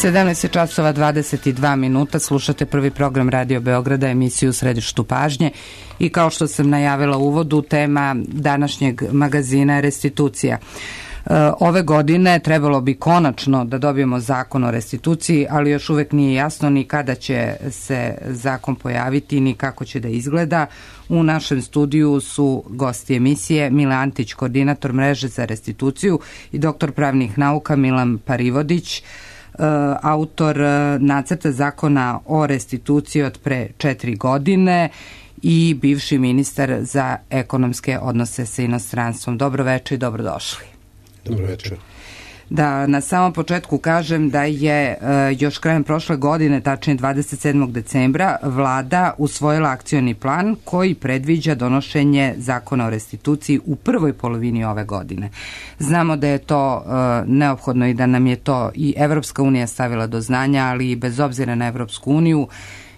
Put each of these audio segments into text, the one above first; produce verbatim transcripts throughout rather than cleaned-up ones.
sedamnaest časova dvadeset dva minuta, slušate prvi program Radio Beograda, emisiju Središtu pažnje i kao što sam najavila u uvodu, tema današnjeg magazina je restitucija. Ove godine trebalo bi konačno da dobijemo zakon o restituciji, ali još uvek nije jasno ni kada će se zakon pojaviti, ni kako će da izgleda. U našem studiju su gosti emisije Mile Antić, koordinator mreže za restituciju, i doktor pravnih nauka Milan Parivodić, autor nacrta zakona o restituciji od pre četiri godine i bivši ministar za ekonomske odnose sa inostranstvom. Dobro večer i dobrodošli. Dobro večer. Da na samom početku kažem da je e, još krajem prošle godine, tačnije dvadeset sedmog decembra, vlada usvojila akcioni plan koji predviđa donošenje zakona o restituciji u prvoj polovini ove godine. Znamo da je to e, neophodno i da nam je to i Evropska unija stavila do znanja, ali i bez obzira na Evropsku uniju,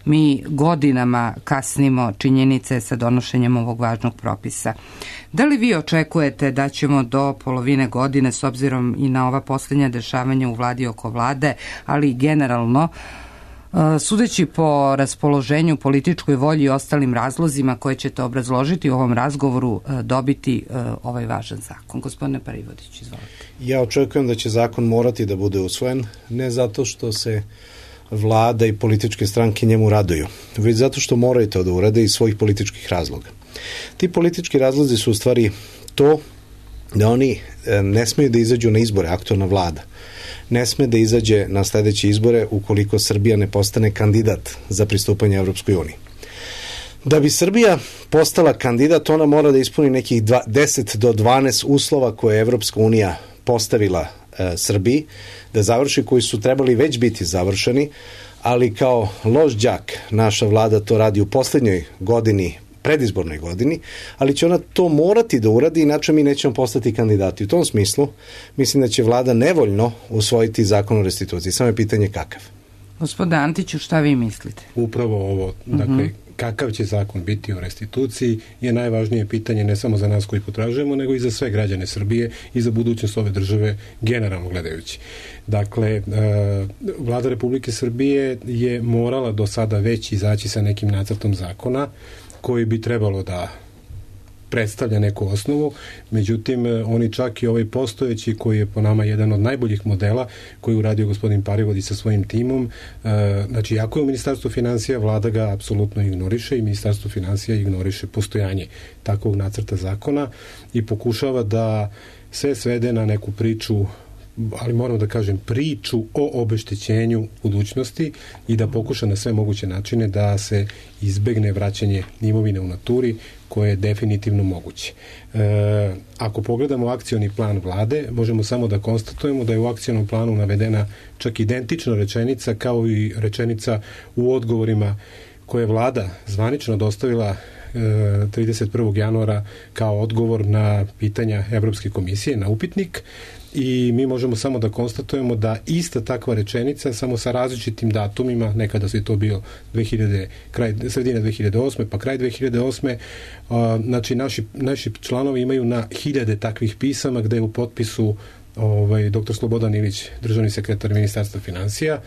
mi godinama kasnimo činjenice sa donošenjem ovog važnog propisa. Da li vi očekujete da ćemo do polovine godine, s obzirom i na ova posljednja dešavanja u vladi oko vlade, ali i generalno, sudeći po raspoloženju, političkoj volji i ostalim razlozima koje ćete obrazložiti u ovom razgovoru, dobiti ovaj važan zakon? Gospodine Parivodić, izvolite. Ja očekujem da će zakon morati da bude usvojen, ne zato što se vlada i političke stranke njemu raduju, već zato što moraju to da urade iz svojih političkih razloga. Ti politički razlozi su u stvari to da oni ne smeju da izađu na izbore, aktualna vlada ne sme da izađe na sledeće izbore ukoliko Srbija ne postane kandidat za pristupanje Evropskoj uniji. Da bi Srbija postala kandidat, ona mora da ispuni nekih deset do dvanaest uslova koje je Evropska unija postavila e, Srbiji da završi, koji su trebali već biti završeni, ali kao loš đak naša vlada to radi u poslednjoj godini, predizbornoj godini, ali će ona to morati da uradi, inače mi nećemo postati kandidati. U tom smislu mislim da će vlada nevoljno usvojiti zakon o restituciji. Samo je pitanje kakav. Gospodine Antiću, šta vi mislite? Upravo ovo, dakle, uh-huh. kakav će zakon biti o restituciji je najvažnije pitanje ne samo za nas koji potražujemo, nego i za sve građane Srbije i za budućnost ove države generalno gledajući. Dakle, Vlada Republike Srbije je morala do sada već izaći sa nekim nacrtom zakona koji bi trebalo da predstavlja neku osnovu, međutim oni čak i ovaj postojeći, koji je po nama jedan od najboljih modela koji je uradio gospodin Parivodić sa svojim timom, znači ako je u Ministarstvu finansija, vlada ga apsolutno ignoriše i Ministarstvo finansija ignoriše postojanje takvog nacrta zakona i pokušava da sve svede na neku priču, ali moram da kažem priču o obeštećenju budućnosti i da pokuša na sve moguće načine da se izbegne vraćanje imovine u naturi, koje je definitivno moguće. E, ako pogledamo akcioni plan vlade, možemo samo da konstatujemo da je u akcionom planu navedena čak identična rečenica kao i rečenica u odgovorima koje je vlada zvanično dostavila trideset prvog januara kao odgovor na pitanja Evropske komisije, na upitnik, i mi možemo samo da konstatujemo da ista takva rečenica, samo sa različitim datumima, nekada se to bio dve hiljade, kraj, sredina dve hiljade osme, pa kraj dve hiljade osme, a, znači naši, naši članovi imaju na hiljade takvih pisama gde je u potpisu ovaj, doktor Slobodan Ilić, državni sekretar Ministarstva finansija,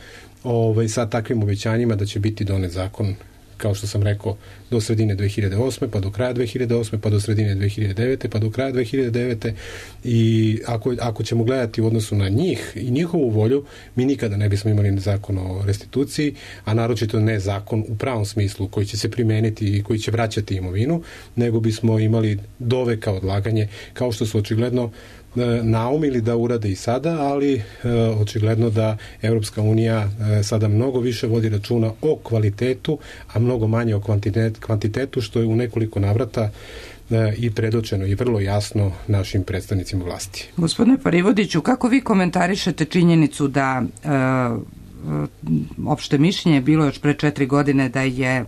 ovaj, sa takvim obećanjima da će biti donet zakon, kao što sam rekao, do sredine dve hiljade osme, pa do kraja dve hiljade osme, pa do sredine dve hiljade devete, pa do kraja dve hiljade devete, i ako, ako ćemo gledati u odnosu na njih i njihovu volju, mi nikada ne bismo imali zakon o restituciji, a naročito ne zakon u pravom smislu koji će se primeniti i koji će vraćati imovinu, nego bismo imali doveka odlaganje, kao što su očigledno naumili da urade i sada, ali e, očigledno da Evropska unija e, sada mnogo više vodi računa o kvalitetu, a mnogo manje o kvantitet, kvantitetu, što je u nekoliko navrata e, i predočeno i vrlo jasno našim predstavnicima vlasti. Gospodine Parivodiću, kako vi komentarišete činjenicu da e, opšte mišljenje je bilo još pre četiri godine da je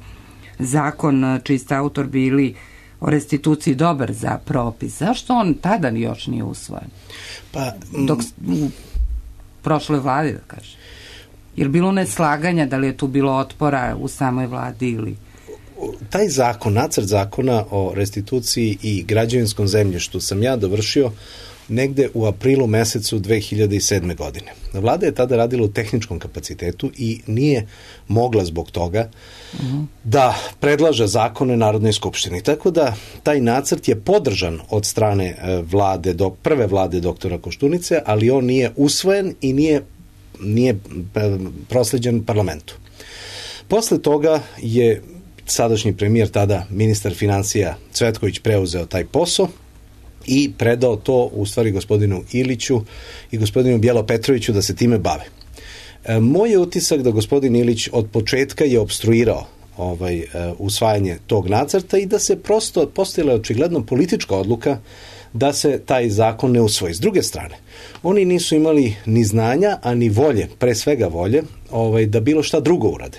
zakon čiji ste autor bili o restituciji dobar za propis? Zašto on tada još nije usvojen? Pa, dok u prošloj vladi, da kažem. Je li bilo neslaganja, da li je tu bilo otpora u samoj vladi ili... Taj zakon, nacrt zakona o restituciji i građevinskom zemljištu sam ja dovršio negde u aprilu mesecu dve hiljade sedme. godine. Vlada je tada radila u tehničkom kapacitetu i nije mogla zbog toga uh-huh. da predlaže zakone Narodnoj skupštini. Tako da taj nacrt je podržan od strane vlade, do, prve vlade doktora Koštunice, ali on nije usvojen i nije, nije prosleđen parlamentu. Posle toga je sadašnji premijer, tada ministar financija Cvetković, preuzeo taj posao i predao to u stvari gospodinu Iliću i gospodinu Bijelo Petroviću da se time bave. E, moj je utisak da gospodin Ilić od početka je opstruirao ovaj, e, usvajanje tog nacrta i da se prosto postojala očigledno politička odluka da se taj zakon ne usvoji. S druge strane, oni nisu imali ni znanja, a ni volje, pre svega volje, ovaj, da bilo šta drugo urade.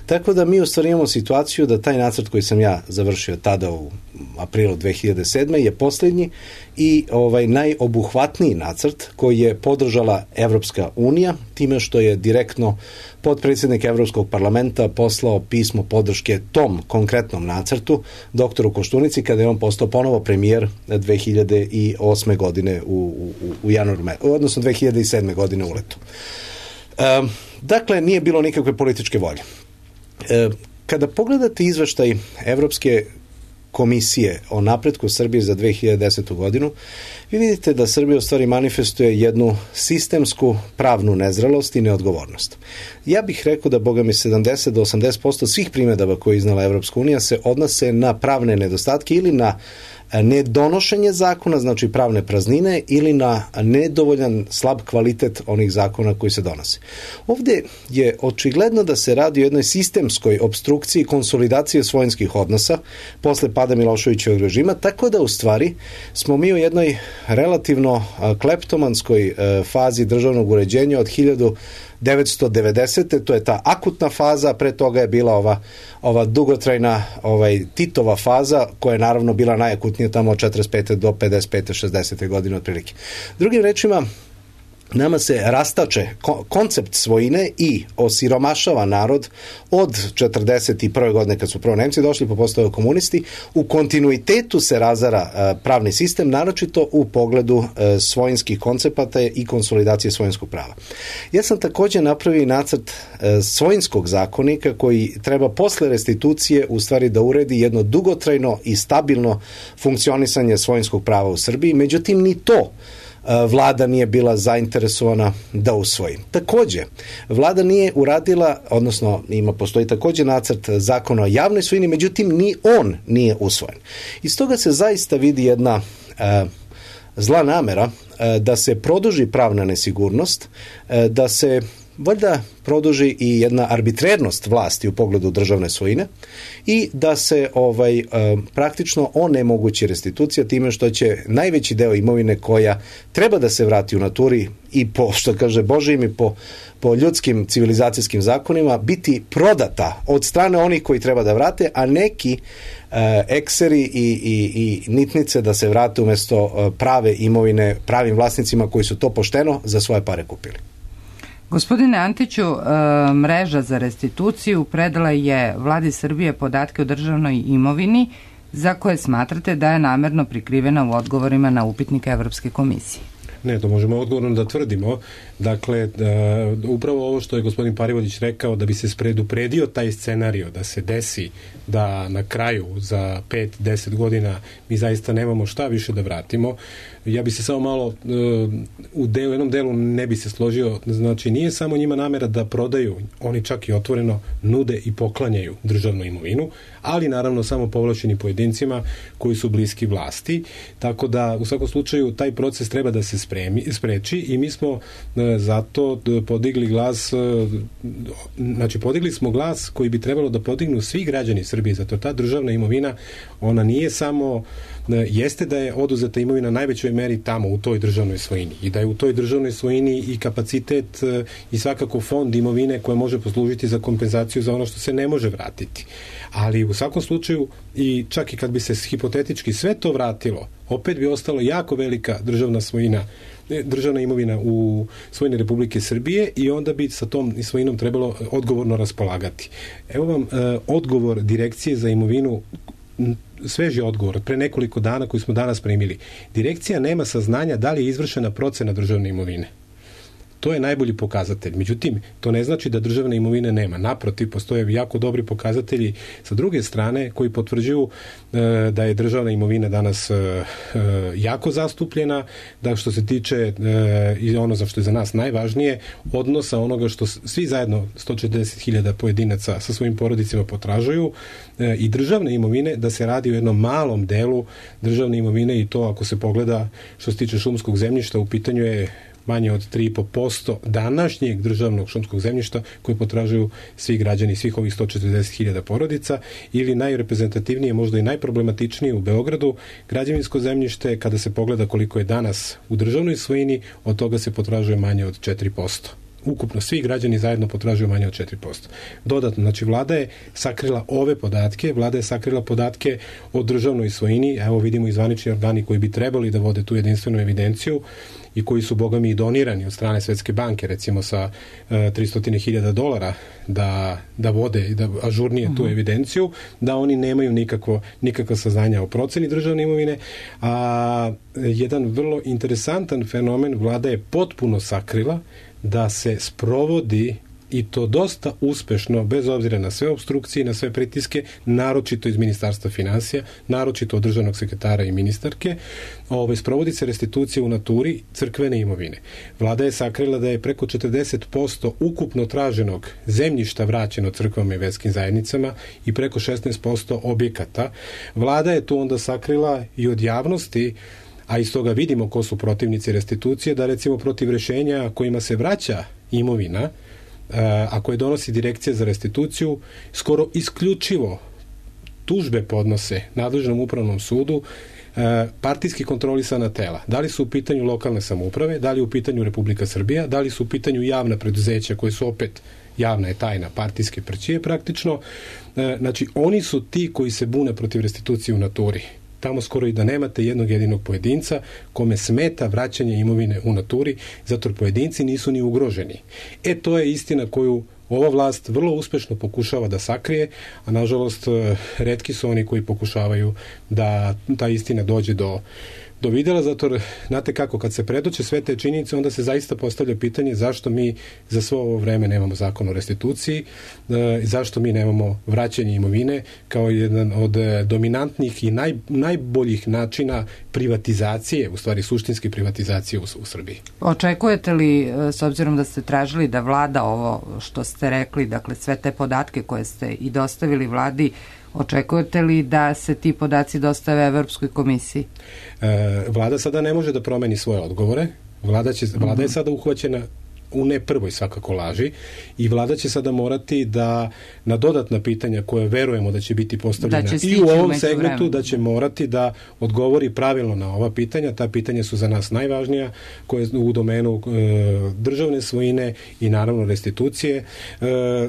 Tako da mi u stvari imamo situaciju da taj nacrt koji sam ja završio tada u aprilu dve hiljade sedme. je posljednji i ovaj najobuhvatniji nacrt koji je podržala Evropska unija, time što je direktno potpredsjednik Evropskog parlamenta poslao pismo podrške tom konkretnom nacrtu doktoru Koštunici kada je on postao ponovo premijer dve hiljade osme. godine u, u, u januaru, odnosno dve hiljade sedme. godine u letu. E, dakle, nije bilo nikakve političke volje. E, kada pogledate izveštaj Evropske komisije o napretku Srbije za dve hiljade desetu. godinu, vi vidite da Srbija u stvari manifestuje jednu sistemsku pravnu nezrelost i neodgovornost. Ja bih rekao da, boga mi, sedamdeset do osamdeset posto svih primjedaba koje je iznala Evropska unija se odnose na pravne nedostatke ili na nedonošenje zakona, znači pravne praznine, ili na nedovoljan slab kvalitet onih zakona koji se donose. Ovdje je očigledno da se radi o jednoj sistemskoj opstrukciji konsolidacije svojinskih odnosa posle pada Miloševićevog režima, tako da u stvari smo mi u jednoj relativno kleptomanskoj fazi državnog uređenja od hiljadu devetsto devedesete. To je ta akutna faza, pre toga je bila ova, ova dugotrajna ovaj, Titova faza, koja je naravno bila najakutnija tamo od četrdeset pete do pedeset pete šezdesete. godine otprilike. Drugim rečima, nama se rastače koncept svojine i osiromašava narod od četrdeset prve. godine kad su prvo Nemci došli pa postaju komunisti. U kontinuitetu se razara pravni sistem, naročito u pogledu svojinskih koncepata i konsolidacije svojinskog prava. Ja sam također napravio nacrt svojinskog zakonika koji treba posle restitucije u stvari da uredi jedno dugotrajno i stabilno funkcionisanje svojinskog prava u Srbiji. Međutim, ni to Vlada nije bila zainteresovana da usvoji. Također, Vlada nije uradila, odnosno ima postoji također nacrt zakona o javnoj svojini, međutim ni on nije usvojen. Iz toga se zaista vidi jedna e, zla namera e, da se produži pravna nesigurnost, e, da se valjda produži i jedna arbitrernost vlasti u pogledu državne svojine i da se ovaj e, praktično onemogući restitucija time što će najveći deo imovine koja treba da se vrati u naturi i po, što kaže Božijim, i po, po ljudskim civilizacijskim zakonima biti prodata od strane onih koji treba da vrate, a neki e, ekseri i, i, i nitnice da se vrate umjesto e, prave imovine pravim vlasnicima koji su to pošteno za svoje pare kupili. Gospodine Antiću, mreža za restituciju predala je Vladi Srbije podatke o državnoj imovini za koje smatrate da je namerno prikrivena u odgovorima na upitnike Evropske komisije. Ne, to možemo odgovorno da tvrdimo. Dakle, da, upravo ovo što je gospodin Parivodić rekao, da bi se predupredio taj scenario, da se desi da na kraju za pet do deset godina mi zaista nemamo šta više da vratimo. Ja bi se samo malo uh, u delu, jednom delu ne bi se složio, znači nije samo njima namera da prodaju, oni čak i otvoreno nude i poklanjaju državnu imovinu, ali naravno samo povlašćeni pojedincima koji su bliski vlasti, tako da u svakom slučaju taj proces treba da se spremi, spreči i mi smo uh, zato podigli glas, uh, znači podigli smo glas koji bi trebalo da podignu svi građani Srbije, zato ta državna imovina, ona nije samo jeste da je oduzeta imovina najvećoj meri tamo u toj državnoj svojini i da je u toj državnoj svojini i kapacitet i svakako fond imovine koja može poslužiti za kompenzaciju za ono što se ne može vratiti. Ali u svakom slučaju i čak i kad bi se hipotetički sve to vratilo, opet bi ostalo jako velika državna svojina, državna imovina u svojini Republike Srbije i onda bi sa tom svojinom trebalo odgovorno raspolagati. Evo vam e, odgovor Direkcije za imovinu sveži odgovor pre nekoliko dana koji smo danas primili. Direkcija nema saznanja da li je izvršena procena državne imovine. To je najbolji pokazatelj. Međutim, to ne znači da državne imovine nema. Naprotiv, postoje jako dobri pokazatelji sa druge strane koji potvrđuju e, da je državna imovina danas e, e, jako zastupljena, da što se tiče e, i ono za što je za nas najvažnije, odnosa onoga što svi zajedno sto četrdeset hiljada pojedinaca sa svojim porodicima potražuju e, i državne imovine, da se radi o jednom malom delu državne imovine i to ako se pogleda što se tiče šumskog zemljišta, u pitanju je manje od tri i po posto današnjeg državnog šumskog zemljišta koje potražuju svi građani, svih ovih sto četrdeset hiljada porodica, ili najreprezentativnije, možda i najproblematičnije u Beogradu, građevinsko zemljište, kada se pogleda koliko je danas u državnoj svojini, od toga se potražuje manje od četiri posto. Ukupno svi građani zajedno potražuju manje od četiri posto. Dodatno, znači vlada je sakrila ove podatke, vlada je sakrila podatke o državnoj svojini, evo vidimo i zvanični organi koji bi trebali da vode tu jedinstvenu evidenciju i koji su, boga mi, donirani od strane Svetske banke, recimo sa e, tristo hiljada dolara da, da vode i da ažurnije uh-huh. tu evidenciju, da oni nemaju nikakvo, nikakva saznanja o proceni državne imovine, a jedan vrlo interesantan fenomen vlada je potpuno sakrila da se sprovodi, i to dosta uspešno, bez obzira na sve opstrukcije, na sve pritiske, naročito iz Ministarstva finansija, naročito od državnog sekretara i ministarke, ove, sprovodi se restitucija u naturi crkvene imovine. Vlada je sakrila da je preko četrdeset posto ukupno traženog zemljišta vraćeno crkvama i verskim zajednicama i preko šesnaest posto objekata. Vlada je tu onda sakrila i od javnosti, a iz toga vidimo ko su protivnici restitucije, da recimo protiv rešenja kojima se vraća imovina, a koje donosi Direkcija za restituciju, skoro isključivo tužbe podnose nadležnom upravnom sudu partijski kontrolisana tela. Da li su u pitanju lokalne samouprave, da li je u pitanju Republika Srbija, da li su u pitanju javna preduzeća koje su opet javna je tajna, partijske prćije praktično. Znači, oni su ti koji se bune protiv restitucije u naturi. Tamo skoro i da nemate jednog jedinog pojedinca kome smeta vraćanje imovine u naturi, zato jer pojedinci nisu ni ugroženi. E, to je istina koju ova vlast vrlo uspešno pokušava da sakrije, a nažalost retki su oni koji pokušavaju da ta istina dođe do do videla, zato jer, znate kako, kad se predoče sve te činjenice, onda se zaista postavlja pitanje zašto mi za svo ovo vreme nemamo zakon o restituciji, e, zašto mi nemamo vraćanje imovine kao jedan od dominantnih i naj, najboljih načina privatizacije, u stvari suštinske privatizacije u, u Srbiji. Očekujete li, s obzirom da ste tražili da vlada ovo što ste rekli, dakle sve te podatke koje ste i dostavili vladi, očekujete li da se ti podaci dostave Evropskoj komisiji? E, vlada sada ne može da promeni svoje odgovore. Vlada, će, vlada je sada uhvaćena u ne prvoj svakako laži i vlada će sada morati da na dodatna pitanja koje verujemo da će biti postavljena i u ovom segmentu, da će morati da odgovori pravilno na ova pitanja. Ta pitanja su za nas najvažnija, koje u domenu e, državne svojine i naravno restitucije. E,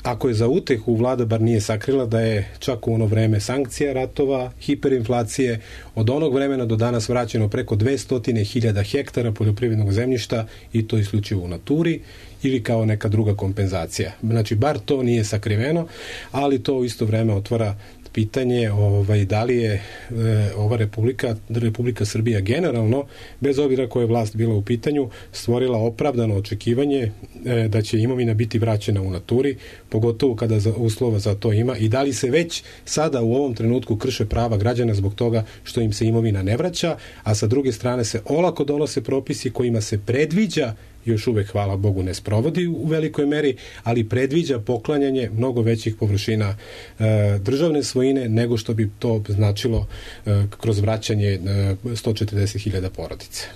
Ako je za utehu vlada bar nije sakrila da je čak u ono vreme sankcija, ratova, hiperinflacije, od onog vremena do danas vraćeno preko dvesta hiljada hektara poljoprivrednog zemljišta i to isključivo u naturi ili kao neka druga kompenzacija. Znači, bar to nije sakriveno, ali to u isto vreme otvara pitanje ovaj, da li je e, ova Republika, Republika Srbija generalno, bez obzira koja je vlast bila u pitanju, stvorila opravdano očekivanje e, da će imovina biti vraćena u naturi, pogotovo kada za, uslova za to ima, i da li se već sada u ovom trenutku krše prava građana zbog toga što im se imovina ne vraća, a sa druge strane se olako donose propisi kojima se predviđa, još uvek, hvala Bogu, ne sprovodi u velikoj meri, ali predviđa poklanjanje mnogo većih površina e, državne svojine nego što bi to značilo e, kroz vraćanje e, sto četrdeset hiljada porodice.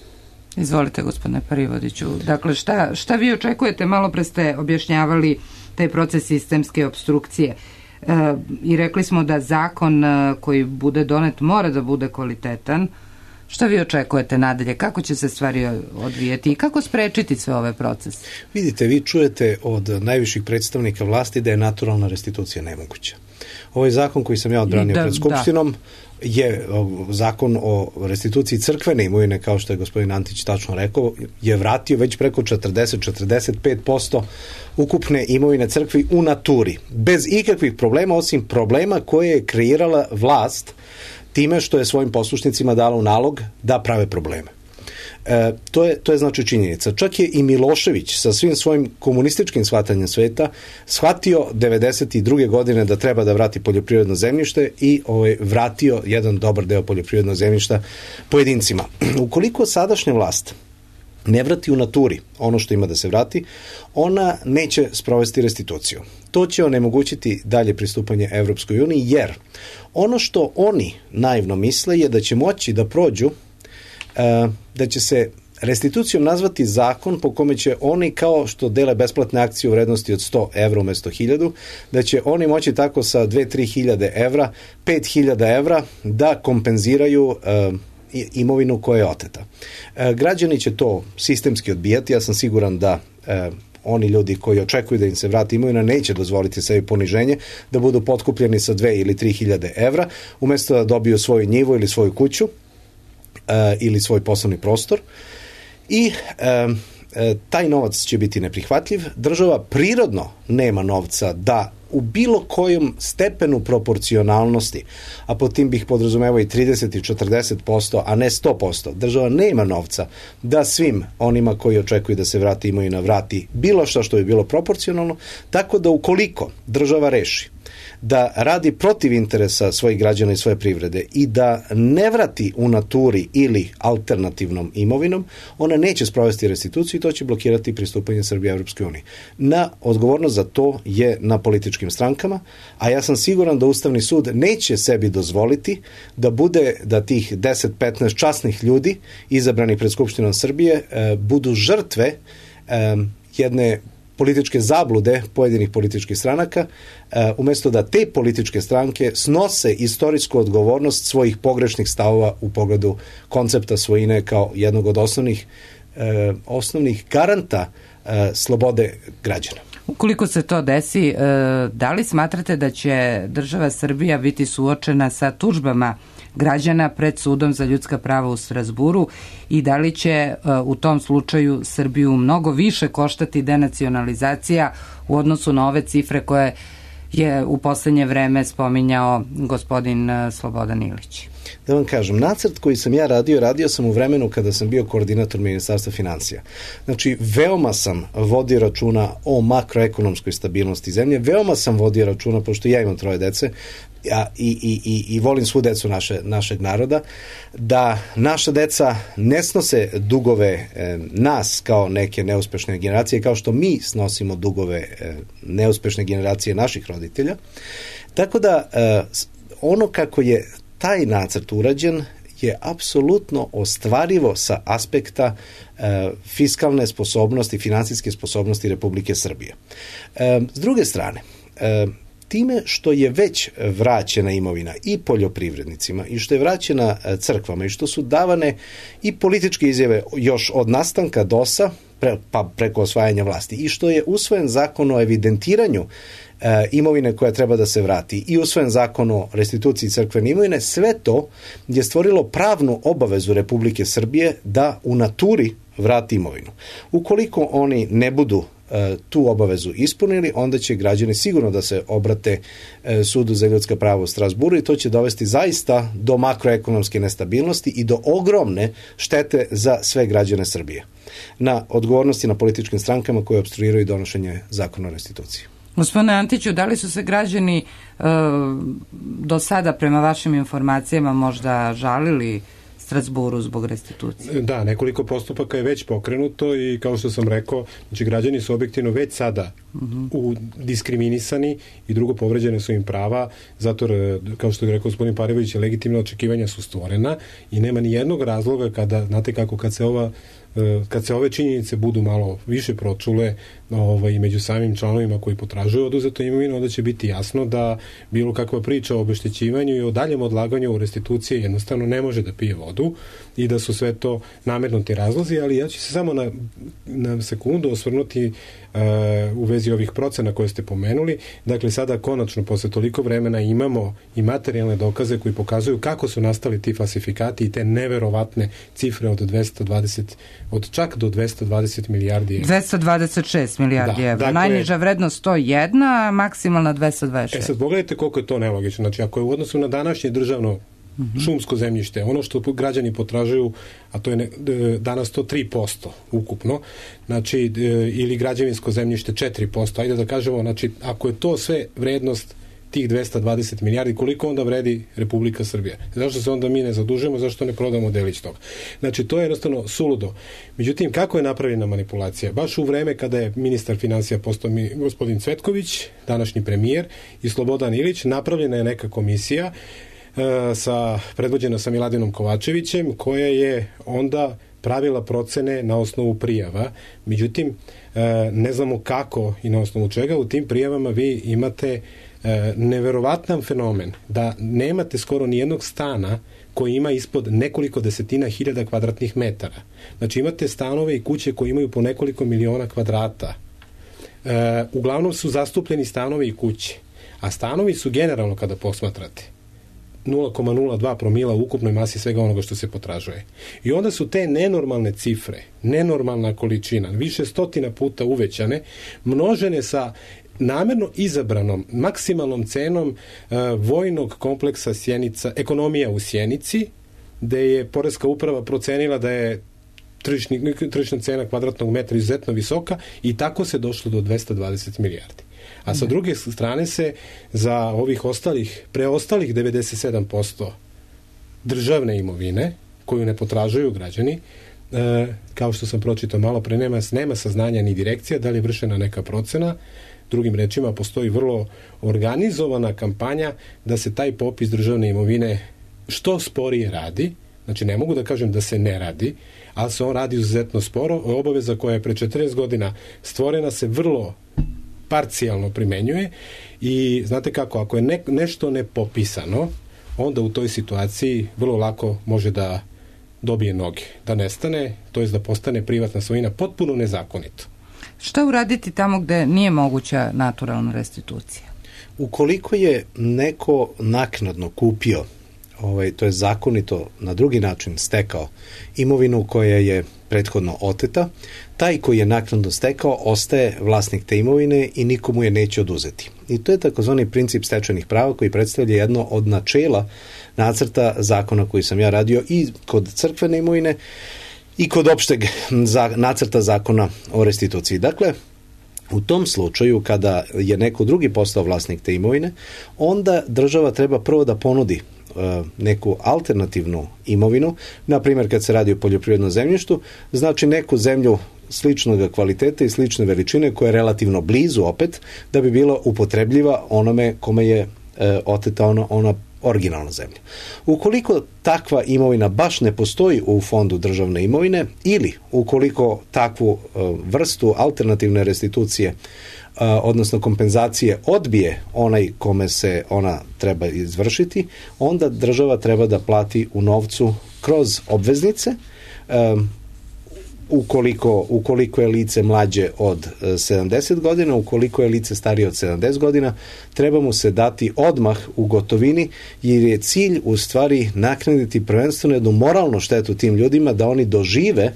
Izvolite, gospodine Parivodiću. Dakle, šta, šta vi očekujete? Malo pre ste objašnjavali taj proces sistemske obstrukcije e, i rekli smo da zakon e, koji bude donet mora da bude kvalitetan. Šta vi očekujete nadalje? Kako će se stvari odvijeti i kako sprečiti sve ove procese? Vidite, vi čujete od najviših predstavnika vlasti da je naturalna restitucija nemoguća. Ovaj zakon koji sam ja odbranio da, pred Skupštinom je zakon o restituciji crkvene imovine, kao što je gospodin Antić tačno rekao, je vratio već preko četrdeset do četrdeset pet posto ukupne imovine crkvi u naturi, bez ikakvih problema, osim problema koje je kreirala vlast time što je svojim poslušnicima dala u nalog da prave probleme. E, to je, to je znači činjenica. Čak je i Milošević sa svim svojim komunističkim shvatanjem sveta shvatio devedeset druge godine da treba da vrati poljoprivredno zemljište i ovaj, vratio jedan dobar deo poljoprivrednog zemljišta pojedincima. Ukoliko sadašnja vlast ne vrati u naturi ono što ima da se vrati, ona neće sprovesti restituciju. To će onemogućiti dalje pristupanje Evropskoj uniji, jer ono što oni naivno misle je da će moći da prođu, da će se restitucijom nazvati zakon po kome će oni, kao što dele besplatne akcije u vrednosti od sto evra umesto hiljadu, da će oni moći tako sa dve do tri hiljade evra, pet hiljada evra da kompenziraju uh, imovinu koja je oteta. Uh, građani će to sistemski odbijati. Ja sam siguran da uh, oni ljudi koji očekuju da im se vrati imovina neće dozvoliti sebi poniženje, da budu potkupljeni sa dve ili tri hiljade evra, umesto da dobiju svoju njivu ili svoju kuću uh, ili svoj poslovni prostor. I uh, taj novac će biti neprihvatljiv. Država prirodno nema novca da u bilo kojem stepenu proporcionalnosti, a po tim bih podrazumevao i trideset i četrdeset posto, a ne sto posto, država nema novca da svim onima koji očekuju da se vrati imovina vrati bilo što što bi bilo proporcionalno, tako da ukoliko država reši da radi protiv interesa svojih građana i svoje privrede i da ne vrati u naturi ili alternativnom imovinom, ona neće sprovesti restituciju i to će blokirati pristupanje Srbije Evropskoj uniji. Na odgovornost za to je na političkim strankama, a ja sam siguran da Ustavni sud neće sebi dozvoliti da bude, da tih deset do petnaest časnih ljudi izabrani pred Skupštinom Srbije e, budu žrtve e, jedne političke zablude pojedinih političkih stranaka, umjesto da te političke stranke snose istorijsku odgovornost svojih pogrešnih stavova u pogledu koncepta svojine kao jednog od osnovnih, eh, osnovnih garanta eh, slobode građana. Ukoliko se to desi, eh, da li smatrate da će država Srbija biti suočena sa tužbama građana pred sudom za ljudska prava u Strazburu i da li će u tom slučaju Srbiju mnogo više koštati denacionalizacija u odnosu na ove cifre koje je u poslednje vreme spominjao gospodin Slobodan Ilić? Da vam kažem, nacrt koji sam ja radio, radio sam u vremenu kada sam bio koordinator Ministarstva financija. Znači, veoma sam vodio računa o makroekonomskoj stabilnosti zemlje, veoma sam vodio računa, pošto ja imam troje dece, ja, i, i, i, i volim svu decu naše, našeg naroda, da naša deca ne snose dugove e, nas kao neke neuspešne generacije, kao što mi snosimo dugove e, neuspešne generacije naših roditelja. Tako da e, ono kako je taj nacrt urađen je apsolutno ostvarivo sa aspekta e, fiskalne sposobnosti, finansijske sposobnosti Republike Srbije. E, s druge strane, e, time što je već vraćena imovina i poljoprivrednicima i što je vraćena crkvama i što su davane i političke izjave još od nastanka D O S-a pre, pa preko osvajanja vlasti i što je usvojen zakon o evidentiranju e, imovine koja treba da se vrati i usvojen zakon o restituciji crkvene imovine, sve to je stvorilo pravnu obavezu Republike Srbije da u naturi vrati imovinu. Ukoliko oni ne budu tu obavezu ispunili, onda će građani sigurno da se obrate sudu za ljudska prava u Strazburu i to će dovesti zaista do makroekonomske nestabilnosti i do ogromne štete za sve građane Srbije. Na odgovornosti na političkim strankama koje opstruiraju donošenje zakona o restituciji. Gospodine Antiću, da li su se građani e, do sada prema vašim informacijama možda žalili Strazburu zbog restitucije? Da, nekoliko postupaka je već pokrenuto i kao što sam rekao, znači građani su objektivno već sada uh-huh. u diskriminisani i drugo povređene su im prava, zato kao što je rekao gospodin Parević, legitimna očekivanja su stvorena i nema ni jednog razloga kada, znate kako, kad se ova kad se ove činjenice budu malo više pročule ovaj, među samim članovima koji potražuju oduzetu imovinu, onda će biti jasno da bilo kakva priča o obeštećivanju i o daljem odlaganju restitucije jednostavno ne može da pije vodu i da su sve to namernuti razlozi, ali ja ću se samo na, na sekundu osvrnuti uh, u vezi ovih procena koje ste pomenuli. Dakle, sada konačno posle toliko vremena imamo i materijalne dokaze koji pokazuju kako su nastali ti falsifikati i te neverovatne cifre od dvesta dvadeset, od čak do dvesta dvadeset milijardi evra. dvesta dvadeset šest milijardi evra. Dakle, najniža vrednost sto jedan, a maksimalna dvesta dvadeset šest. E sad pogledajte koliko je to nelogično. Znači, ako je u odnosu na današnje državno mm-hmm. šumsko zemljište, ono što građani potražuju, a to je ne, danas to tri posto ukupno, znači, ili građevinsko zemljište četiri posto, ajde da kažemo, znači, ako je to sve vrednost tih dvesta dvadeset milijardi, koliko onda vredi Republika Srbija? Zašto se onda mi ne zadužujemo, zašto ne prodamo delić toga? Znači, to je jednostavno suludo. Međutim, kako je napravljena manipulacija? Baš u vreme kada je ministar finansija postao mi, gospodin Cvetković, današnji premijer, i Slobodan Ilić, napravljena je neka komisija e, sa, predvođena sa Miladinom Kovačevićem, koja je onda pravila procene na osnovu prijava. Međutim, e, ne znamo kako i na osnovu čega. U tim prijavama vi imate E, neverovatan fenomen da nemate skoro nijednog stana koji ima ispod nekoliko desetina hiljada kvadratnih metara. Znači imate stanove i kuće koji imaju po nekoliko miliona kvadrata. E, uglavnom su zastupljeni stanovi i kuće. A stanovi su generalno, kada posmatrate, nula zarez nula dva promila u ukupnoj masi svega onoga što se potražuje. I onda su te nenormalne cifre, nenormalna količina, više stotina puta uvećane, množene sa namerno izabranom maksimalnom cenom uh, vojnog kompleksa Sjenica, ekonomija u Sjenici, gde je poreska uprava procenila da je tržišni, tržišna cena kvadratnog metra izuzetno visoka i tako se došlo do dvesta dvadeset milijardi. A sa druge strane se za ovih ostalih, preostalih devedeset sedam posto državne imovine, koju ne potražuju građani, e, kao što sam pročitao malo pre, nema, nema saznanja ni direkcija da li je vršena neka procena. Drugim rečima, postoji vrlo organizovana kampanja da se taj popis državne imovine što sporije radi. Znači, ne mogu da kažem da se ne radi, ali se on radi izuzetno sporo. Obaveza koja je pre četrnaest godina stvorena se vrlo parcijalno primenjuje i znate kako, ako je ne, nešto nepopisano, onda u toj situaciji vrlo lako može da dobije noge, da nestane, to jest da postane privatna svojina potpuno nezakonito. Šta uraditi tamo gde nije moguća naturalna restitucija? Ukoliko je neko naknadno kupio, ovaj, to je zakonito na drugi način stekao imovinu koja je prethodno oteta, taj koji je naknadno stekao ostaje vlasnik te imovine i nikomu je neće oduzeti. I to je takozvani princip stečajnih prava koji predstavlja jedno od načela nacrta zakona koji sam ja radio i kod crkvene imovine i kod opšteg za, nacrta zakona o restituciji. Dakle, u tom slučaju, kada je neko drugi postao vlasnik te imovine, onda država treba prvo da ponudi uh, neku alternativnu imovinu, na primjer kad se radi o poljoprivrednom zemljištu, znači neku zemlju sličnog kvaliteta i slične veličine koja je relativno blizu opet, da bi bila upotrebljiva onome kome je uh, oteta ona, ona originalna zemlja. Ukoliko takva imovina baš ne postoji u fondu državne imovine ili ukoliko takvu uh, vrstu alternativne restitucije, uh, odnosno kompenzacije odbije onaj kome se ona treba izvršiti, onda država treba da plati u novcu kroz obveznice. Um, Ukoliko, ukoliko je lice mlađe od sedamdeset godina, ukoliko je lice starije od sedamdeset godina, treba mu se dati odmah u gotovini, jer je cilj u stvari naknaditi prvenstveno jednu moralnu štetu tim ljudima, da oni dožive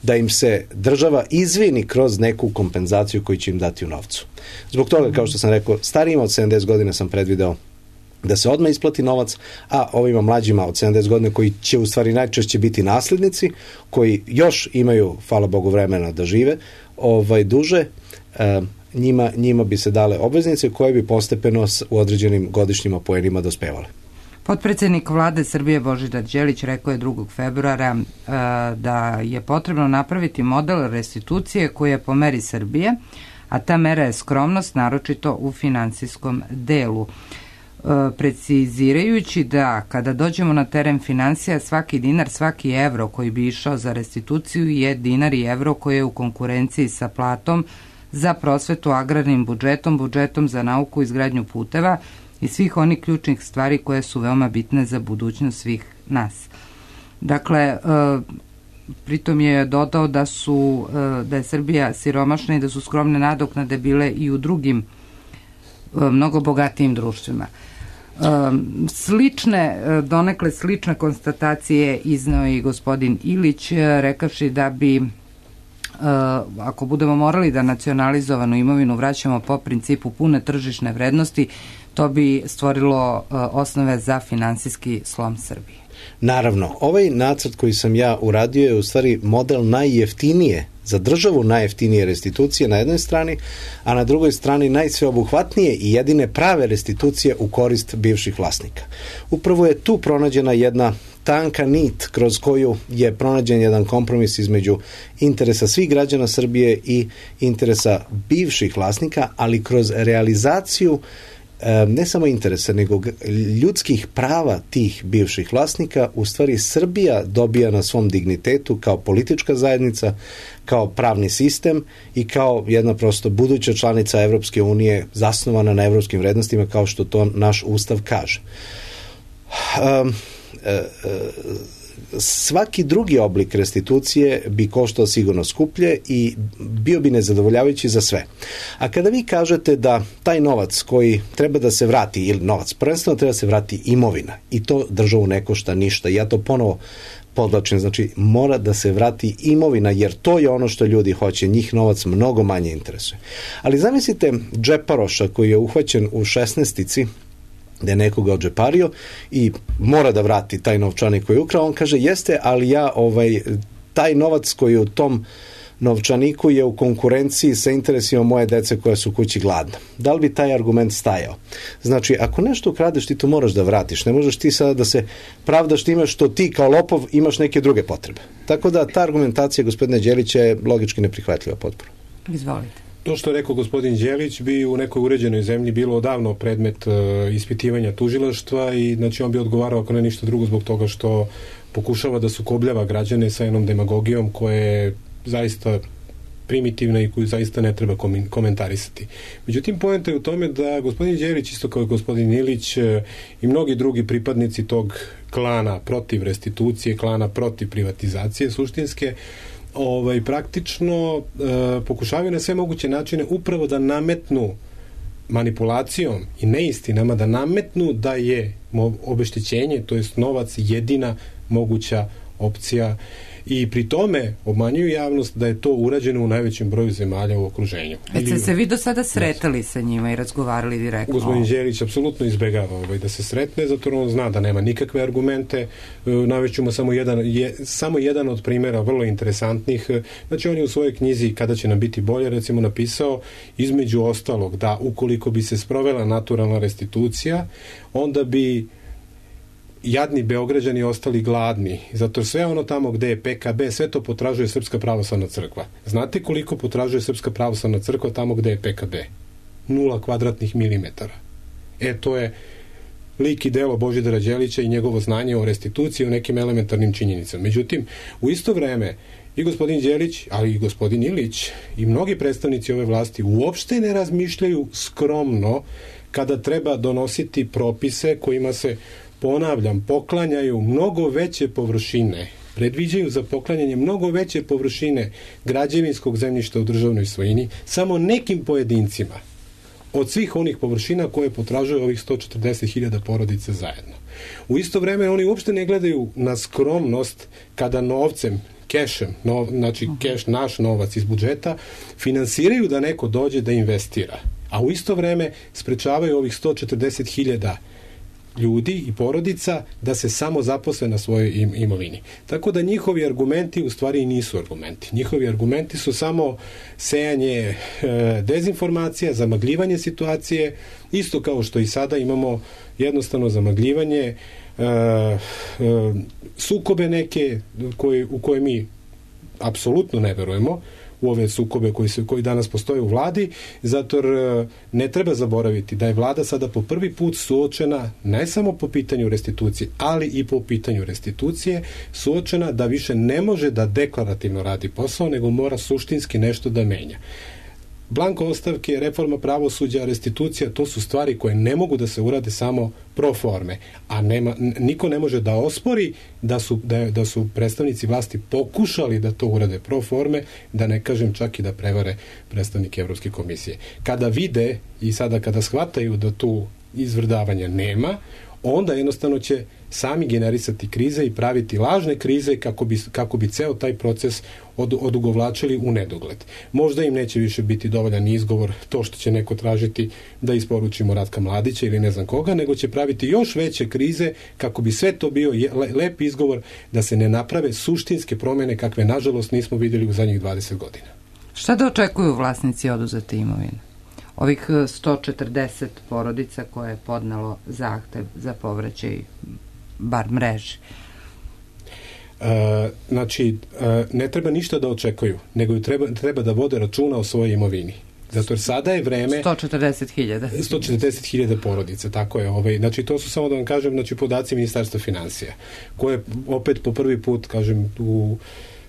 da im se država izvini kroz neku kompenzaciju koju će im dati u novcu. Zbog toga, kao što sam rekao, starijima od sedamdeset godina sam predvideo da se odmah isplati novac, a ovima mlađima od sedamdeset godina koji će u stvari najčešće biti naslednici, koji još imaju, hvala Bogu, vremena da žive ovaj, duže, e, njima, njima bi se dale obveznice koje bi postepeno u određenim godišnjima poenima dospevale. Potpredsednik vlade Srbije Božidar Đelić rekao je drugog februara e, da je potrebno napraviti model restitucije koji je po meri Srbije, a ta mera je skromnost, naročito u finansijskom delu. precizirajući da kada dođemo na teren finansija, svaki dinar, svaki evro koji bi išao za restituciju je dinar i evro koji je u konkurenciji sa platom za prosvetu, agrarnim budžetom, budžetom za nauku, izgradnju puteva i svih onih ključnih stvari koje su veoma bitne za budućnost svih nas. Dakle, pritom je dodao da su da je Srbija siromašna i da su skromne nadoknade bile i u drugim mnogo bogatijim društvima. Slične, donekle slične konstatacije izneo i gospodin Ilić, rekavši da bi ako budemo morali da nacionalizovanu imovinu vraćamo po principu pune tržišne vrednosti, to bi stvorilo osnove za finansijski slom Srbije. Naravno, ovaj nacrt koji sam ja uradio je u stvari model najjeftinije, za državu najjeftinije restitucije na jednoj strani, a na drugoj strani najsveobuhvatnije i jedine prave restitucije u korist bivših vlasnika. Upravo je tu pronađena jedna tanka nit kroz koju je pronađen jedan kompromis između interesa svih građana Srbije i interesa bivših vlasnika, ali kroz realizaciju ne samo interesa, nego ljudskih prava tih bivših vlasnika, u stvari Srbija dobija na svom dignitetu kao politička zajednica, kao pravni sistem i kao jedna prosto buduća članica Evropske unije zasnovana na evropskim vrednostima, kao što to naš ustav kaže. Um, svaki drugi oblik restitucije bi koštao sigurno skuplje i bio bi nezadovoljavajući za sve. A kada vi kažete da taj novac koji treba da se vrati, ili novac, prvenstveno treba da se vrati imovina i to državu ne košta ništa. Ja to ponovo podlačim, znači mora da se vrati imovina, jer to je ono što ljudi hoće, njih novac mnogo manje interesuje. Ali zamislite džeparoša koji je uhvaćen u šesnaestici, da je nekoga odžepario i mora da vrati taj novčanik koji je ukrao, on kaže jeste, ali ja ovaj, taj novac koji je u tom novčaniku je u konkurenciji sa interesima moje dece koja su kući gladna. Da li bi taj argument stajao? Znači, ako nešto ukradeš, ti to moraš da vratiš. Ne možeš ti sada da se pravdaš time što ti kao lopov imaš neke druge potrebe. Tako da ta argumentacija gospodine Đelića je logički neprihvatljiva potpuno. Izvolite. To što je rekao gospodin Đelić bi u nekoj uređenoj zemlji bilo odavno predmet uh, ispitivanja tužilaštva i znači on bi odgovarao ako ne ništa drugo zbog toga što pokušava da sukobljava građane sa jednom demagogijom koja je zaista primitivna i koju zaista ne treba komentarisati. Međutim, poenta je u tome da gospodin Đelić, isto kao i gospodin Ilić i mnogi drugi pripadnici tog klana protiv restitucije, klana protiv privatizacije suštinske, ovaj, praktično e, pokušavaju na sve moguće načine upravo da nametnu manipulacijom i neistinama, da nametnu da je obeštećenje, to jest novac, jedina moguća opcija i pri tome obmanjuju javnost da je to urađeno u najvećem broju zemalja u okruženju. Već ste se vi do sada sretali sa njima i razgovarali direktno? Gospodin Đelić apsolutno izbegava ovaj, da se sretne, zato on zna da nema nikakve argumente. Navećemo samo jedan, je, samo jedan od primjera vrlo interesantnih. Znači on je u svojoj knjizi Kada će nam biti bolje recimo napisao između ostalog da ukoliko bi se sprovela naturalna restitucija, onda bi jadni Beograđani ostali gladni, zato sve ono tamo gde je P K B, sve to potražuje Srpska pravoslavna crkva. Znate koliko potražuje Srpska pravoslavna crkva tamo gde je P K B? Nula kvadratnih milimetara. E, to je lik i delo Božidara Đelića i njegovo znanje o restituciji, o nekim elementarnim činjenicama. Međutim, u isto vreme i gospodin Đelić, ali i gospodin Ilić i mnogi predstavnici ove vlasti uopšte ne razmišljaju skromno kada treba donositi propise kojima se, ponavljam, poklanjaju mnogo veće površine, predviđaju za poklanjanje mnogo veće površine građevinskog zemljišta u državnoj svojini samo nekim pojedincima od svih onih površina koje potražuje ovih sto četrdeset hiljada porodica zajedno. U isto vreme oni uopšte ne gledaju na skromnost kada novcem, kešem, nov, znači keš, naš novac iz budžeta, finansiraju da neko dođe da investira. A u isto vreme sprečavaju ovih sto četrdeset hiljada ljudi i porodica da se samo zaposle na svojoj im, imovini. Tako da njihovi argumenti u stvari i nisu argumenti. Njihovi argumenti su samo sejanje e, dezinformacija, zamagljivanje situacije, isto kao što i sada imamo jednostavno zamagljivanje e, e, sukobe neke koje, u koje mi apsolutno ne verujemo, u ove sukobe koji, su, koji danas postoje u vladi, zato ne treba zaboraviti da je vlada sada po prvi put suočena ne samo po pitanju restitucije, ali i po pitanju restitucije suočena da više ne može da deklarativno radi posao, nego mora suštinski nešto da menja. Blanko ostavke, reforma pravosuđa, restitucija, to su stvari koje ne mogu da se urade samo pro forme, a nema, niko ne može da ospori da su, da, da su predstavnici vlasti pokušali da to urade pro forme, da ne kažem čak i da prevare predstavnike Evropske komisije. Kada vide i sada kada shvataju da tu izvrdavanja nema, onda jednostavno će sami generisati krize i praviti lažne krize kako bi, kako bi ceo taj proces od, odugovlačili u nedogled. Možda im neće više biti dovoljan izgovor to što će neko tražiti da isporučimo Ratka Mladića ili ne znam koga, nego će praviti još veće krize kako bi sve to bio le, lep izgovor da se ne naprave suštinske promene kakve nažalost nismo vidjeli u zadnjih dvadeset godina. Šta da očekuju vlasnici oduzete imovine? Ovih sto četrdeset porodica koje je podnelo zahtev za povraćaj bar mreži. E, znači, e, ne treba ništa da očekuju, nego treba, treba da vode računa o svojoj imovini. Zato jer sada je vreme... sto četrdeset hiljada. sto četrdeset hiljada porodica, tako je. Ovaj, znači, to su samo da vam kažem, znači, podaci Ministarstva finansija, koje opet po prvi put, kažem, u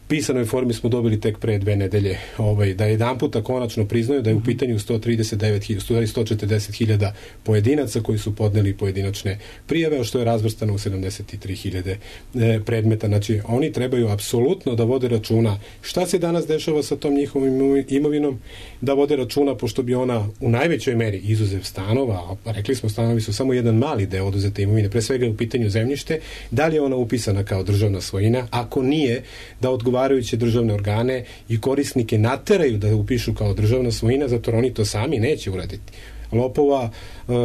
pisanoj formi smo dobili tek pre dve nedelje, ovaj, da jedan puta konačno priznaju da je u pitanju sto trideset devet hiljada, sto četrdeset hiljada pojedinaca koji su podneli pojedinačne prijave, a što je razvrstano u sedamdeset tri hiljade e, predmeta. Znači, oni trebaju apsolutno da vode računa šta se danas dešava sa tom njihovom imovinom, da vode računa, pošto bi ona u najvećoj meri, izuzev stanova, a rekli smo stanovi su samo jedan mali deo oduzete imovine, pre svega je u pitanju zemljište, da li je ona upisana kao državna svojina, ako nije, da odgovara odgovarajuće državne organe i korisnike nateraju da upišu kao državna svojina, zato oni to sami neće uraditi. Lopova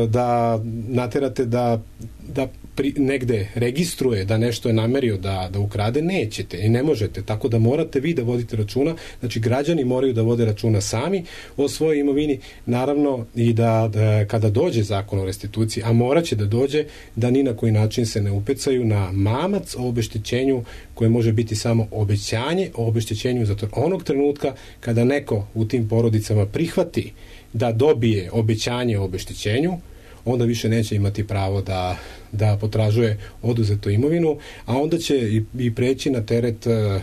da naterate da, da pri, negde registruje da nešto je namerio da, da ukrade, nećete i ne možete, tako da morate vi da vodite računa, znači građani moraju da vode računa sami o svojoj imovini, naravno i da, da kada dođe zakon o restituciji, a morat će da dođe, da ni na koji način se ne upecaju na mamac o obeštećenju koje može biti samo obećanje o obeštećenju, zato onog trenutka kada neko u tim porodicama prihvati da dobije obećanje o obeštećenju, onda više neće imati pravo da, da potražuje oduzetu imovinu, a onda će i, i preći na teret e,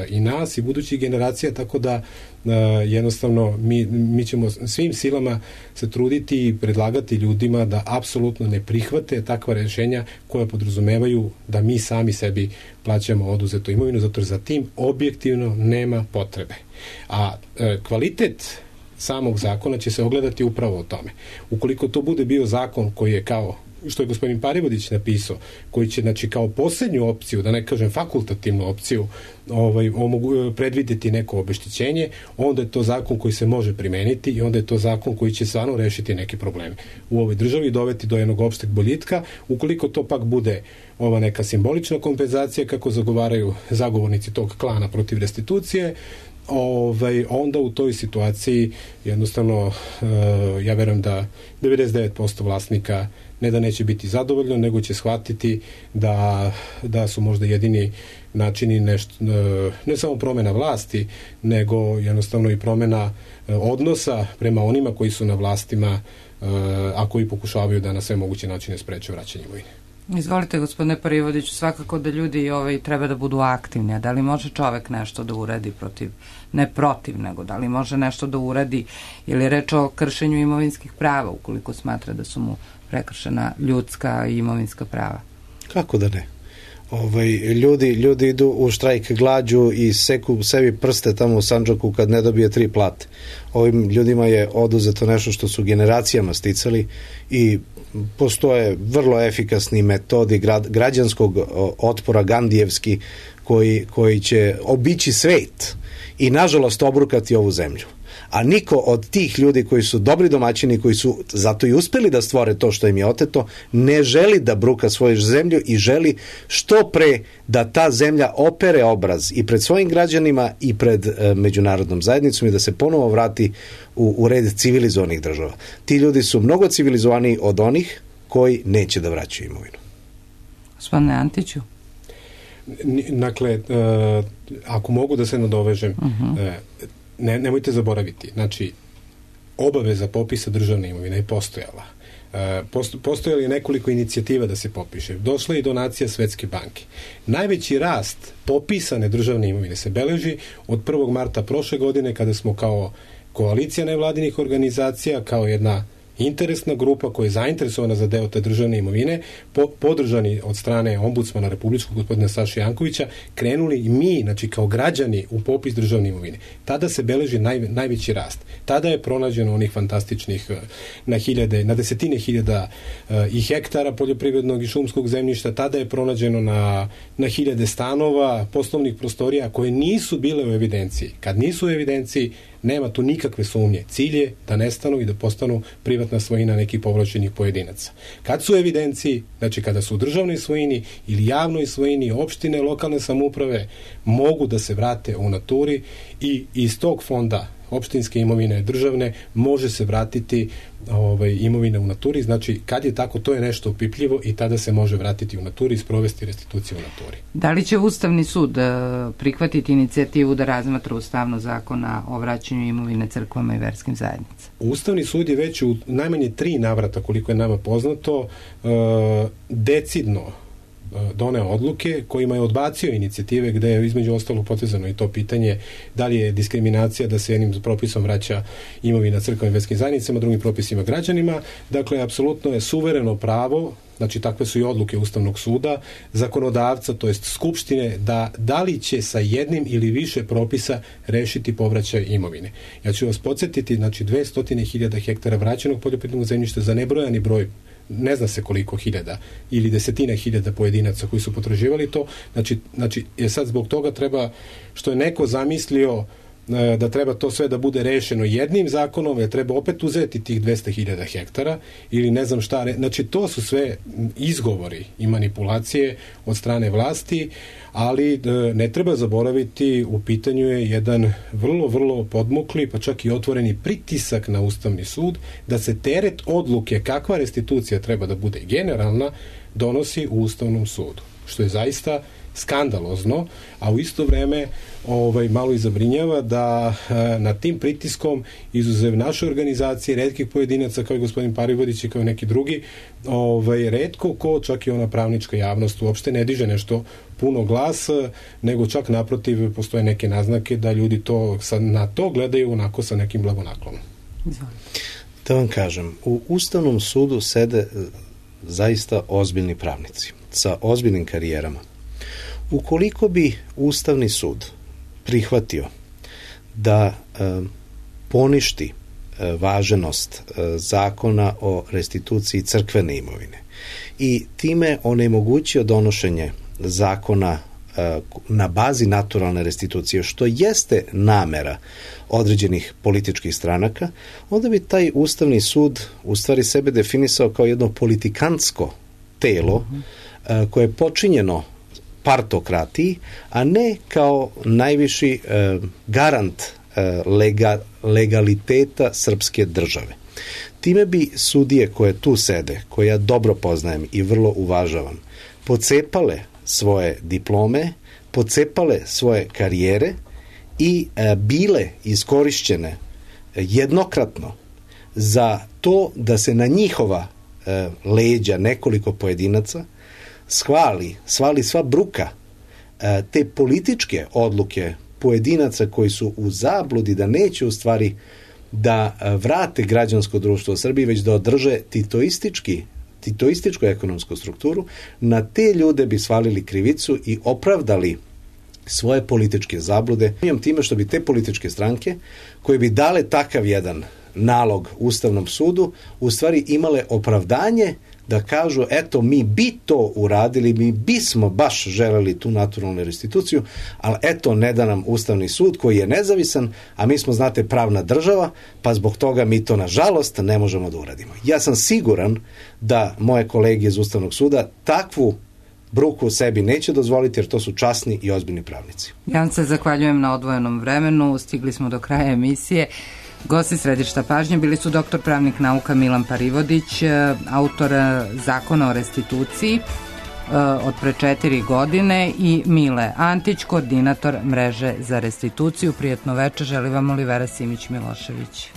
i nas i budućih generacija, tako da e, jednostavno mi, mi ćemo svim silama se truditi i predlagati ljudima da apsolutno ne prihvate takva rešenja koja podrazumevaju da mi sami sebi plaćamo oduzetu imovinu, zato jer za tim objektivno nema potrebe. A e, kvalitet samog zakona će se ogledati upravo o tome. Ukoliko to bude bio zakon koji je kao, što je gospodin Parivodić napisao, koji će, znači, kao posljednju opciju, da ne kažem fakultativnu opciju, ovaj, omogu, predvideti neko obeštećenje, onda je to zakon koji se može primeniti i onda je to zakon koji će stvarno rešiti neke probleme u ovoj državi i doveti do jednog opšteg boljitka. Ukoliko to pak bude ova neka simbolična kompenzacija, kako zagovaraju zagovornici tog klana protiv restitucije, Ovaj, onda u toj situaciji jednostavno ja verujem da devedeset devet posto vlasnika ne da neće biti zadovoljno, nego će shvatiti da, da su možda jedini načini nešto, ne samo promjena vlasti, nego jednostavno i promjena odnosa prema onima koji su na vlastima, a koji pokušavaju da na sve moguće načine spreče vraćanje imovine. Izvolite, gospodine Parivodiću, svakako da ljudi ovaj, treba da budu aktivni, a da li može čovek nešto da uradi protiv, ne protiv, nego da li može nešto da uradi ili reč o kršenju imovinskih prava, ukoliko smatra da su mu prekršena ljudska i imovinska prava? Kako da ne? Ovaj, ljudi, ljudi idu u štrajk glađu i seku sebi prste tamo u Sandžaku kad ne dobije tri plate. Ovim ljudima je oduzeto nešto što su generacijama sticali i postoje vrlo efikasni metodi građanskog otpora gandijevski koji, koji će obići svet i nažalost obrukati ovu zemlju. A niko od tih ljudi koji su dobri domaćini, koji su zato i uspeli da stvore to što im je oteto, ne želi da bruka svoju zemlju i želi što pre da ta zemlja opere obraz i pred svojim građanima i pred e, međunarodnom zajednicom i da se ponovo vrati u, u red civilizovanih država. Ti ljudi su mnogo civilizovaniji od onih koji neće da vraćaju imovinu. Gospodine Antiću? Dakle, e, ako mogu da se nadovežem, uh-huh. e, ne, nemojte zaboraviti, znači, obaveza popisa državne imovine je postojala. Postojalo je nekoliko inicijativa da se popiše. Došla je i donacija Svetske banke. Najveći rast popisane državne imovine se beleži od prvog marta prošle godine, kada smo kao koalicija nevladinih organizacija, kao jedna interesna grupa koja je zainteresovana za deo te državne imovine, po, podržani od strane ombudsmana republičkog gospodina Saše Jankovića, krenuli i mi, znači kao građani, u popis državne imovine. Tada se beleži naj, najveći rast. Tada je pronađeno onih fantastičnih na hiljade, na desetine hiljada uh, i hektara poljoprivrednog i šumskog zemljišta, tada je pronađeno na, na hiljade stanova, poslovnih prostorija koje nisu bile u evidenciji. Kad nisu u evidenciji, nema tu nikakve sumnje. Cilj je da nestanu i da postanu privatna svojina nekih povlašćenih pojedinaca. Kad su u evidenciji, znači kada su u državnoj svojini ili javnoj svojini, opštine, lokalne samouprave, mogu da se vrate u naturi i iz tog fonda opštinske imovine državne može se vratiti ovaj, imovina u naturi. Znači, kad je tako, to je nešto opipljivo i tada se može vratiti u naturi i sprovesti restituciju u naturi. Da li će Ustavni sud prihvatiti inicijativu da razmatra ustavno zakona o vraćanju imovine crkvama i verskim zajednicama? Ustavni sud je već u najmanje tri navrata, koliko je nama poznato, decidno doneo odluke kojima je odbacio inicijative gde je između ostalog potezano i to pitanje da li je diskriminacija da se jednim propisom vraća imovina crkvenim i verskim zajednicama, drugim propisima građanima. Dakle, apsolutno je suvereno pravo, znači takve su i odluke Ustavnog suda, zakonodavca, to jest Skupštine, da da li će sa jednim ili više propisa rešiti povraćaj imovine. Ja ću vas podsjetiti, znači dvesta hiljada hektara vraćenog poljoprivrednog zemljišta za nebrojani broj, ne zna se koliko hiljada ili desetina hiljada pojedinaca koji su potraživali to, znači, znači je sad zbog toga treba, što je neko zamislio da treba to sve da bude rešeno jednim zakonom, jer treba opet uzeti tih dvesta hiljada hektara ili ne znam šta, znači to su sve izgovori i manipulacije od strane vlasti, ali ne treba zaboraviti, u pitanju je jedan vrlo, vrlo podmukli, pa čak i otvoreni pritisak na Ustavni sud, da se teret odluke kakva restitucija treba da bude generalna, donosi u Ustavnom sudu, što je zaista skandalozno, a u isto vreme ovaj, malo i zabrinjava da e, nad tim pritiskom, izuzev naše organizacije, retkih pojedinaca kao i gospodin Parivodić i kao i neki drugi, ovaj, retko ko, čak i ona pravnička javnost uopšte ne diže nešto puno glas, nego čak naprotiv postoje neke naznake da ljudi to sad na to gledaju onako sa nekim blagonaklonom. Da vam kažem, u Ustavnom sudu sede zaista ozbiljni pravnici sa ozbiljnim karijerama. Ukoliko bi Ustavni sud prihvatio da e, poništi e, važenost e, zakona o restituciji crkvene imovine i time onemogućio donošenje zakona e, na bazi naturalne restitucije, što jeste namera određenih političkih stranaka, onda bi taj Ustavni sud u stvari sebe definisao kao jedno politikantsko telo e, koje je počinjeno partokratiji, a ne kao najviši e, garant e, lega, legaliteta srpske države. Time bi sudije koje tu sede, koje ja dobro poznajem i vrlo uvažavam, pocepale svoje diplome, pocepale svoje karijere i e, bile iskorišćene jednokratno za to da se na njihova e, leđa nekoliko pojedinaca svali, svali sva bruka e, te političke odluke pojedinaca koji su u zabludi da neće u stvari da vrate građansko društvo u Srbiji, već da održe titoistički, titoističku ekonomsku strukturu, na te ljude bi svalili krivicu i opravdali svoje političke zablude. Time što bi te političke stranke koje bi dale takav jedan nalog Ustavnom sudu u stvari imale opravdanje da kažu, eto, mi bi to uradili, mi bismo baš želeli tu naturalnu restituciju, ali eto, ne da nam Ustavni sud koji je nezavisan, a mi smo, znate, pravna država, pa zbog toga mi to, nažalost, ne možemo da uradimo. Ja sam siguran da moje kolege iz Ustavnog suda takvu bruku sebi neće dozvoliti, jer to su časni i ozbiljni pravnici. Ja vam se zahvaljujem na odvojenom vremenu, stigli smo do kraja emisije. Gosti središta pažnje bili su doktor pravnih nauka Milan Parivodić, autor zakona o restituciji, od pre četiri godine i Mile Antić, koordinator mreže za restituciju. Prijatno veče, želi vam Olivera Simić Milošević.